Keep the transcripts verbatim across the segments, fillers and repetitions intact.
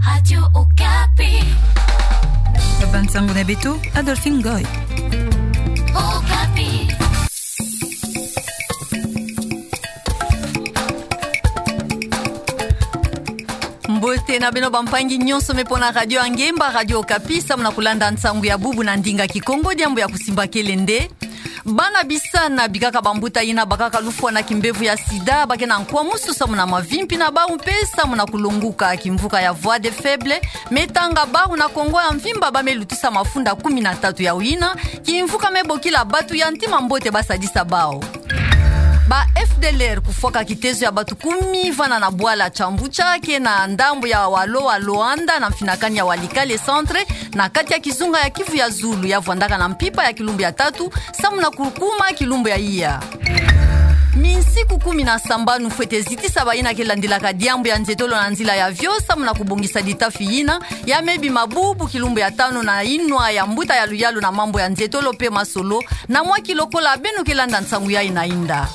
Radio Okapi. Ba nsangu na beto, Adolphine Ngoy. Okapi. Mbote na beno bampangi nyonso me pona Radio Angemba, Radio Okapi, samu na kulanda nsangu ya bubu na ndinga Kikongo. Diambu ya kusimbakele nde: bana bisana bikaka bambuta yina bakaka lufwa na kimbevo ya sida, ba ke na nkwa mosi samu na mavimpi na bau mpe samu na kulonguka. Kimvuka ya Voix des Faibles me tanga bau na Kongo ya mvimba, ba me lutisa mafunda kumi na tatu ya yina kimvuka me bokila bato ya ntima mbote ba sadisa bau. Ba F D L R kufwaka kitezo ya bato kumi vana na bwala Kyamboukya ke na ndambu ya walo wa Luanda na mfinakani ya Walikale Centre, na kati ya kizunga ya Kivu ya Zulu, ya vwandaka na mpimpa ya kilumbu ya tatu, samu na kukuma kilumbu ya iya. Minsiku kumi na sambanu fwete zitisa bayina ke landilaka diambu ya nzietolo na nzila ya vio, samu na kubongisa ditafi yina ya me bima bubu kilumbu ya tanu na inwa ya mbuta ya luyalu na mambu ya nzietolo mpe masolo, na mwa ki lokola beno ke landa nsangu yayi na inda.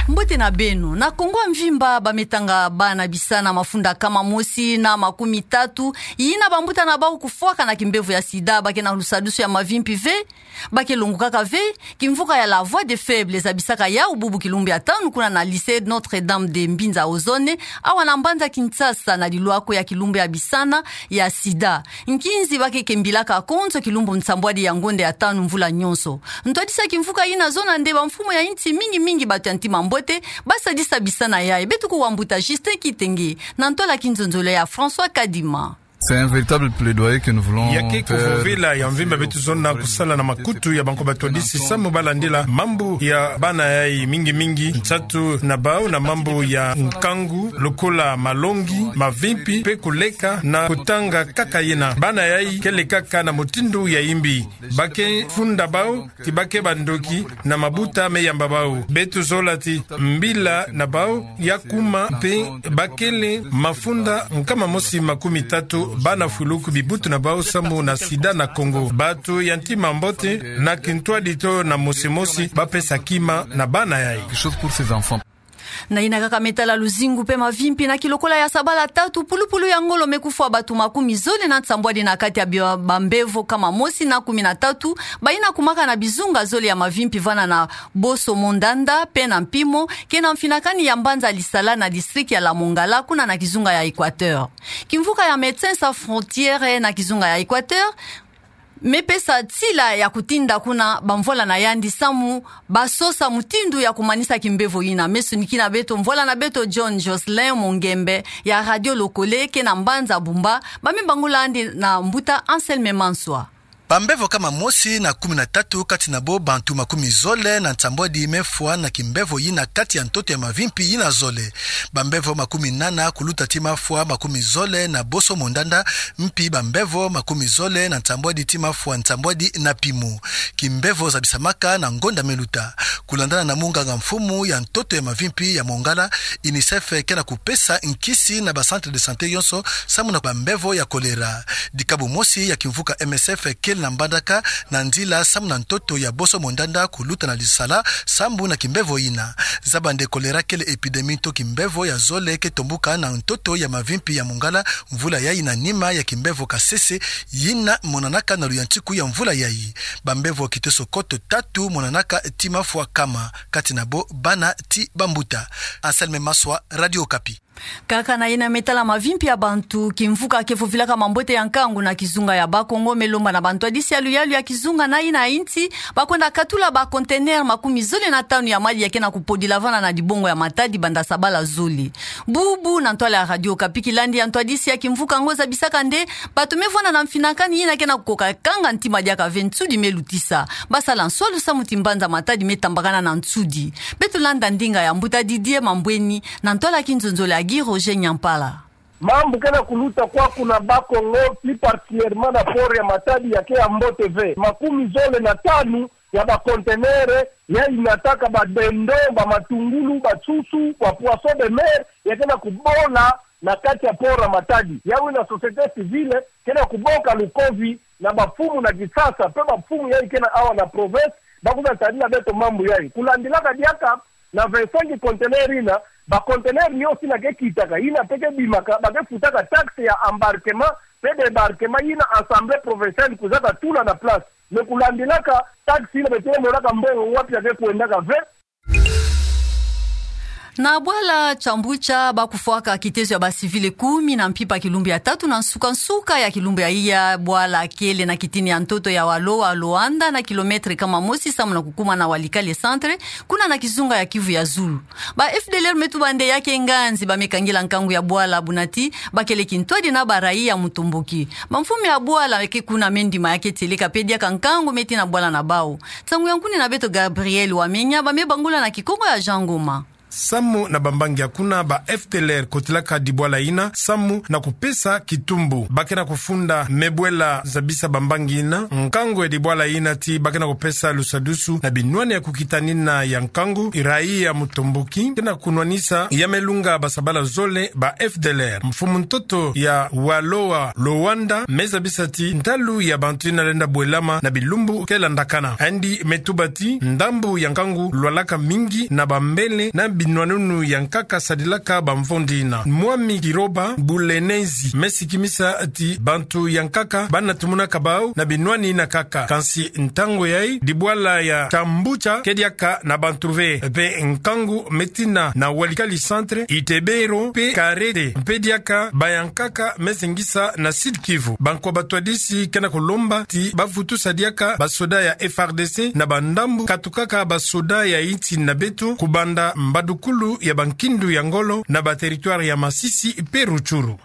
Mbote na beno. Na Kongo ya mvimba, ba me tanga bana bisana mafunda kama mosi na makumi tatu yina bambuta na bau kufwaka na kimbevo ya sida, ba ke na lusadusu ya mavimpi ve, ba ke longukaka ve. Kimvuka ya La Voix des Faibles zabisaka yau bubu kilumbu ya tanu kuna na Lycée Notre-Dame de Mbinza Ozone, awa na mbanza Kinshasa, na lilwako ya kilumbu ya bisana ya sida. Nkinzi ba ke kembilaka konzo kilumbu nsambwadi ya ngonda ya tanu mvula nyonso. Ntwadisi ya kimvuka yina zona nde bamfumu ya insi mingi mingi, bato ya ntima mbote, ba sadisa bisana yayi. Beto kuwa mbuta Justin Kitenge na ntwala kinzonzolo ya François Kadima. C'est un véritable plaidoyer que nous voulons faire. Ya ke kuvovila ya mvimba beto zona kusala na makutu ya banko batwadisi samu ba landila mambu ya bana yayi, mingi mingi nsatu na bau na mambu ya nkangu, lokola malongi, mavimpi, mpe kuleka na kutanga kaka yina. Bana yayi ke lekaka na mutindu ya imbi. Ba ke funda bau ti ba ke bandoki na mabuta me yamba bau. Beto zola ti mbila na bau ya kuma, mpe ba kele mafunda nkama mosi makumi tatu bana fuluku bibutu na bau samu na sida na Kongo. Bato ya ntima mbote na kintwadi to na mosi mosi ba pesa kima na bana yayi. Quelque chose pour ces enfants. Na yina kaka me tala luzingu mpe mavimpi, na kilokola ya sabala tatu, pulupulu ya ngolo me kufwa bato makumi zole na nsambwadi na kati ya bia-, bambevo kama mosi na kumi na tatu bayina kumaka na bizunga zole ya mavimpi vana na Boso-Mondanda mpe na Mpimo, ke na mfinakani ya mbanza Lisala na district ya La Mongala, kuna na kizunga ya Equateur. Kimvuka ya Médecins Sans Frontières na kizunga ya Equateur me pesa nsila ya kutinda kuna bamvwala na yandi samu ba sosa mutindu ya kumanisa kimbevo yina. Me sonikina beto mvwala na beto John Jocelyn Mongembe ya Radio Lokole ke na mbanza Bumba, ba me bangula yandi na mbuta Anselme Manswa. Bambevo kama mosi na kumi na tatu, kati na bo bantu makumi zole na nsambwadi, me fwa na kimbevo yina kati ya ntoto ya mavimpi yina zole. Bambevo makumi nana kuluta ti mafwa makumi zole na Boso-Mondanda, mpi bambevo makumi zole na nsambwadi ti mafwa nsambwadi na Mpimo. Kimbevo zabisamaka na ngonda me luta. Kulandana na munganga mfumu ya ntoto ya mavimpi ya Mongala, UNICEF ke na kupesa nkisi na ba centre de santé yonso samu na bambevo ya choléra. Dikabu mosi ya kimvuka M S F kele na mbandaka na nzila samu na ntoto ya Boso-Mondanda kuluta na Lisala, sambu na kimbevo yina. Zaba nde choléra kele épidémie to kimbevo ya zole ke tombuka na ntoto ya mavimpi ya Mongala mvula yayi na nima ya kimbevo kasese yina monanaka na luyantiku ya mvula yayi. Bambevo kiteso koto tatu monanaka ti mafwa kama, kati na bo bana ti bambuta. Anselme Manswa, Radio Okapi. Kaka na yina me tala mavimpi ya bantu, kimvuka ke vovilaka mambote ya nkangu na kizunga ya Bakongo me lomba na bantwadisi ya luyalu ya kizunga na yina insi ba kwenda katula ba conteneurs makumi zole na tanu ya madi ya ke na kupodila vana na dibongo ya Matadi banda sabala zole. Bubu na ntwala ya Radio Okapi, kilandi ya ntwadisi ya kimvuka yango zabisaka nde bato me vwanda na mfinakani yina ke na kukoka kanga ntima diaka ve nsudi me lutisa. Ba sala nswalu samu ti mbanza Matadi me tambakana na nsudi. Beto landa ndinga ya mbuta Didier Mambweni na ntwala kinzonzolo ya Guy Roger Nyampala. Mambu ke na kuluta kwaku na Bakongo, plus particulièrement na port ya Matadi, ya ke ya mbote ve. Makumi zole na tanu ya ba conteneurs yayi nataka ba dindons, ba matungulu, ba nsusu, ba poissons de mer, ya ke na kubola na kati ya port ya Matadi. Yawu yina société civile ke na kuboka lukovi na bamfumu na kisasa, mpe bamfumu yayi ke na awa na province, ba kwiza tadila beto mambu yayi. Kulandilaka diaka na vingt-cinq conteneurs yina, Ba conteneur nyonso yina ke kitaka, yina mpe ke bimaka, ba ke futaka taxe ya embarquement mpe débarquement yina assemblée provinciale kuzaka tula na place. Mais kulandilaka taxe yina, beto ke monaka mbongo wapi ya ke kwendaka ve. Na bwala Chambucha, ba kufwaka kitezo ya ba civil kumi na mpimpa kilumbu ya tatu na nsuka-nsuka ya kilumbu ya iya. Bwala kele na kitini ya ntoto ya Waloa Loanda, na kilomètre kama mosi samu na kukuma na Walikale centre, kuna na kizunga ya Kivu ya zulu. Ba F D L R me tuba nde ya ke nganzi ba me kangila nkangu ya bwala, buna ti ba kele kintwadi na ba raia ya mutomboki. Ba mfumu ya bwala ke kuna me ndima ya ke tieleka mpe diaka nkangu me tina bwala na bawu. Nsangu ya nkuni na beto Gabriel Wamenya, ba me bangula na Kikongo ya Jean Ngoma. Samu na bambangi ya kuna, ba F D L R kotilaka dibwala yina samu na kupesa kitumbu. Ba ke na kufunda mebwela zabisa bambangi yina, nkangu ya dibwala yina, ti ba ke na kupesa lusadusu na binwani ya kukitanina ya nkangu, raia ya mutomboki ke na kunwanisa ya me lunga basabala zole ba F D L R. Mfumu ntoto ya Waloa Loanda me zabisa ti ntalu ya bantu yina lenda bwelama na bilumbu ke landakana. Yandi me tuba ti ndambu ya nkangu lwalaka mingi na bambele na binwanunu ya nkaka sadilaka bamvondi yina. Mwami Kiroba Bulenezi me sikimisa ti bantu ya nkaka ba na tumunaka bawu na binwani yina kaka. Kansi ntangu yayi, dibwala ya Chambucha ke diaka na bantu ve, mpe nkangu me tina na Walikale centre, Itebero mpe Karete mpe diaka ba ya nkaka me zengisa na Sud Kivu. Bankwa batwadisi ke na kulomba ti ba vutusa diaka basoda ya F A R D C na bandambu katukaka basoda ya insi na beto, kubanda mbadukulu ya bankindu ya ngolo na ba territoire ya Masisi mpe Rutshuru.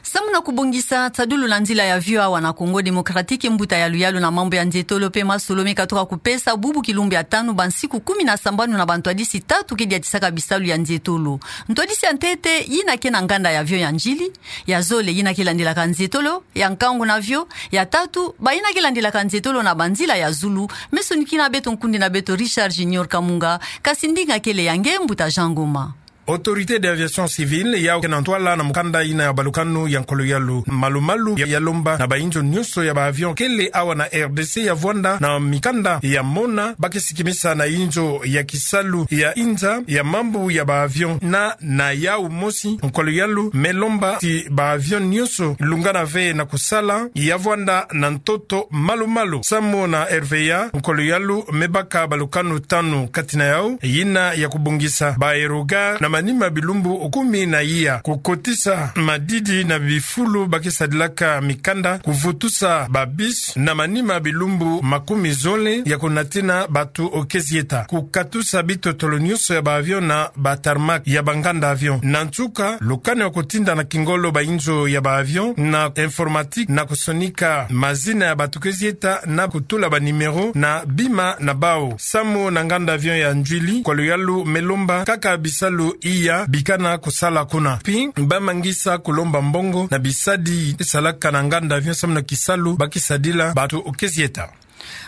Samu na kubongisa tadulu na nzila ya vio awa na Congo Démocratique, mbuta ya luyalu na mambu ya nzietolo mpe masolo me katuka kupesa bubu kilumbu ya tanu bansiku kumi na sambanu na bantwadisi tatu ke diatisaka bisalu ya nzietolo. Ntwadisi ya ntete, yina ke na nganda ya vio ya ndjili. Ya zole, yina ke landilaka nzietolo, ya nkangu na vio. Ya tatu, bayina ke landilaka nzietolo na banzila ya zulu. Me sonikina beto nkundi na beto Richard Junior Kamunga, kasi ndinga kele ya nge mbuta Jean Ngoma. Autorité d'aviation civile, yawu ke na ntwala na mukanda yina ya balukanu ya nkolo yalu malu-malu, ya, ya lomba na bainzo nyonso ya ba avion kele awa na R D C ya vwanda na mikanda ya mona, ba ke sikimisa na inzo ya kisalu ya inza ya mambu ya ba avion na, na yawu mosi, nkolo yalu me lomba ti ba avion nyonso lungana ve na kusala, ya vwanda na ntoto malu-malu. Samu na R V A, nkolo yalu me baka balukanu tanu, kati na yawu yina ya kubongisa ba aérogare na manima bilumbu kumi na iya, kukotisa madidi na bifulu ba ke sadilaka mikanda, kuvutusa ba bus na manima bilumbu makumi zole ya kunatina bantu ke zieta, kukatusa bitotolo nyonso ya ba avion na ba tarmac ya banganda avion. Na nsuka, lukanu ya kutinda na kingolo bainzo ya ba avion na informatique na kusonika mazina ya bantu ke zieta na kutula ba numéro na bima na bawu. Samu na nganda avion ya Ndjili, nkolo yalu me lomba kaka bisalu iya bikana kusala kuna. Pi ba mangisa kulomba mbongo na bisadi salaka na nganda avion samu na kisalu ba ke sadila bantu ke zieta.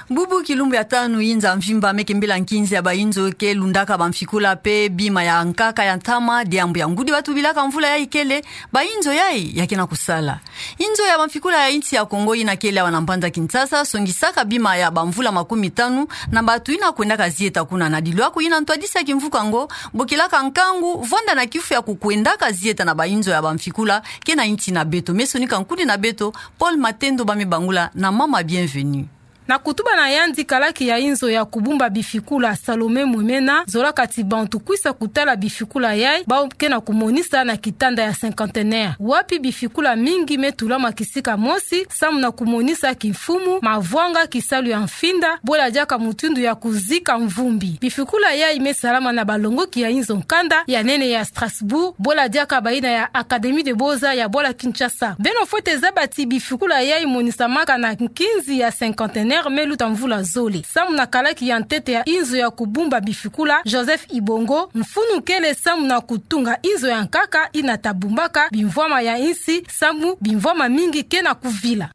Bubu kilumbu ya tanu inza mvimba me kembela nkinzi ya bainzo ke lundaka bamfikula mpe bima ya nkaka ya ntama, diambu ya ngudi ba tubilaka mvula yayi kele, bainzo yayi ya ke na kusala. Inzo ya bamfikula ya insi ya Congo yina kele awa na mbanza Kinshasa songisaka bima ya bamvula makumi tanu na bantu yina kwendaka zieta kuna. Na dilwaku yina, ntwadisi ya kimvuka ngo bokilaka nkangu vwanda na kifu ya kukwendaka zieta na bainzo ya bamfikula ke na insi na beto. Me sonika nkundi na beto Paul Matendo, ba me bangula na mama Bienvenue. Na kutuba na yandi, kalaki ya inzo ya kubumba bifikula Salome Mwemena zolaka ti bantu kwisa kutala bifikula yayi bawu ke na kumonisa na kitanda ya cinquantenaire, wapi bifikula mingi me tulama kisika mosi samu na kumonisa kimfumu, mavwanga, kisalu ya mfinda, bwela diaka mutindu ya kuzika mvumbi. Bifikula yayi me salama na balongoki ya inzo nkanda ya nene ya Strasbourg, bwela diaka bayina ya Académie des Beaux-Arts ya bwala Kinshasa. Beno fwete zaba ti bifikula yayi monisamaka na nkinzi ya cinquantenaire me luta mvula zole. Samu na kalaki ya ntete ya inzo ya kubumba bifikula, Joseph Ibongo, mfunu kele samu na kutunga inzo ya nkaka yina ta bumbaka bimvwama ya insi, samu bimvwama mingi ke na kuvila.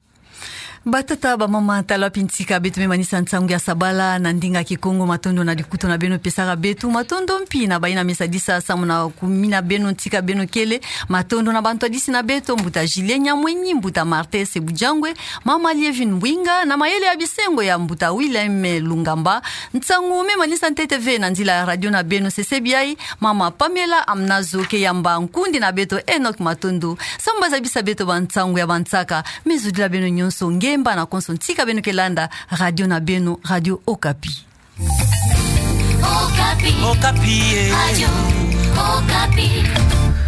Batata, bamama, tala pintika beto me manisa nsangu ya sabala na ndinga Kikongo. Matondo na likutu na beno pesaka beto. Matondo mpi na bayi na me sadisa samu na kumina beno ntika beno kele. Matondo na bantwadisi na beto, mbuta Julien Nyamwenyi, mbuta Marthe Sebujangwe, mama Lievine Mbwinga, na mayele ya bisengo ya mbuta Willem Lungamba. Nsangu me manisa ntete ve na nzila ya radio na beno, sesebi ayi mama Pamela Amunazo ke yamba nkundi na beto Enoch Matondo samu ba zabisa beto bansangu ya bansaka. Me zodila beno nyonso ngemba na konso ntika beno ke landa radio na beno, Radio Okapi. Okapi. Okapi, eh. Radio Okapi.